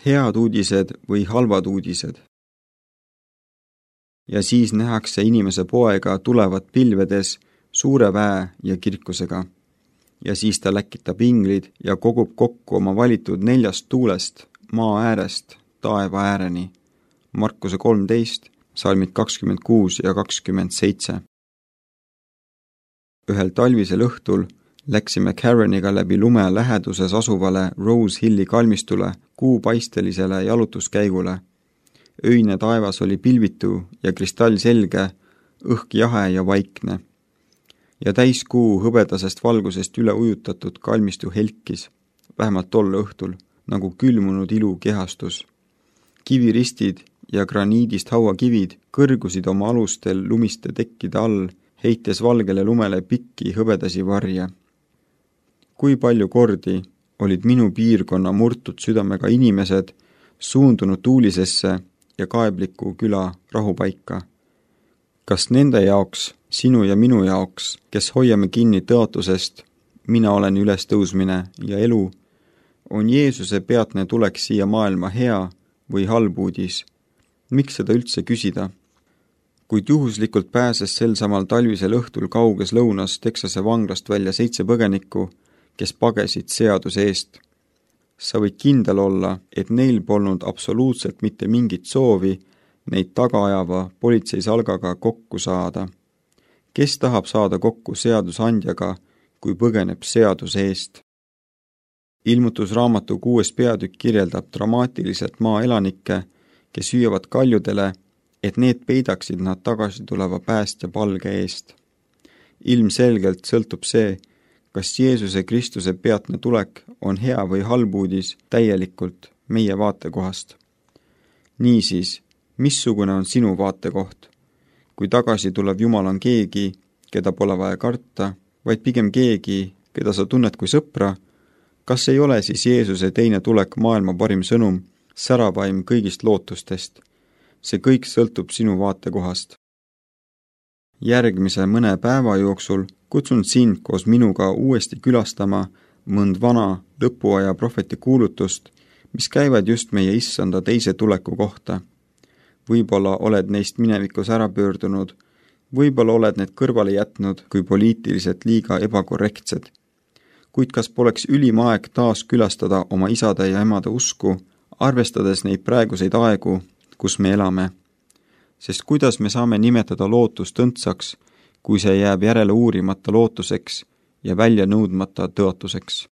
head uudised või halvad uudised. Ja siis nähakse inimese poega tulevat pilvedes suure väe ja kirkusega. Ja siis ta läkitab inglid ja kogub kokku oma valitud 4 tuulest, maa äärest, taeva ääreni. Markuse 13, salmid 26 ja 27. Ühel talvisel õhtul läksime Kareniga läbi lume läheduses asuvale Rose Hilli kalmistule kuupaistelisele jalutuskäigule. Öine taevas oli pilvitu ja kristallselge, õhk jahe ja vaikne. Ja täiskuu hõbedasest valgusest üle ujutatud kalmistu helkis, vähemalt tol õhtul, nagu külmunud ilu kehastus. Kiviristid ja graniidist hauakivid kõrgusid oma alustel lumiste tekkide all, heites valgele lumele pikki hõbedasi varje. Kui palju kordi olid minu piirkonna murtud südamega inimesed suundunud tuulisesse ja kaebliku küla rahupaika. Kas nende jaoks, sinu ja minu jaoks, kes hoiame kinni tõotusest, mina olen ülestõusmine ja elu, on Jeesuse peatne tulek siia maailma hea või halb uudis? Miks seda üldse küsida? Kuid juhuslikult pääses sel samal talvisel õhtul kauges lõunas Texase vanglast välja 7 põgenikku, kes pagesid seaduse eest. Sa võid kindel olla, et neil polnud absoluutselt mitte mingit soovi neid tagaajava politseisalgaga kokku saada. Kes tahab saada kokku seadusandjaga, kui põgeneb seaduse eest? Ilmutusraamatu 6. peatükk kirjeldab dramaatiliselt maaelanikke, kes hüüavad kaljudele, et need peidaksid nad tagasi tuleva päästja palge eest. Ilmselgelt sõltub see, kas Jeesuse Kristuse peatne tulek on hea või halb uudis täielikult meie vaatekohast. Niisiis, missugune on sinu vaatekoht? Kui tagasi tulev Jumal on keegi, keda pole vaja karta, vaid pigem keegi, keda sa tunned kui sõpra, kas ei ole siis Jeesuse teine tulek maailma parim sõnum, säravaim kõigist lootustest? See kõik sõltub sinu vaatekohast. Järgmise mõne päeva jooksul kutsun sind koos minuga uuesti külastama mõnd vana lõpuaja prohveti kuulutust, mis käivad just meie issanda teise tuleku kohta. Võib-olla oled neist minevikus ära pöördunud, võib-olla oled need kõrvale jätnud kui poliitiliselt liiga ebakorrektsed. Kuid kas poleks ülim aeg taas külastada oma isade ja emade usku, arvestades neid praeguseid aegu, kus me elame? Sest kuidas me saame nimetada lootust õndsaks, kui see jääb järele uurimata lootuseks ja välja nõudmata tõotuseks?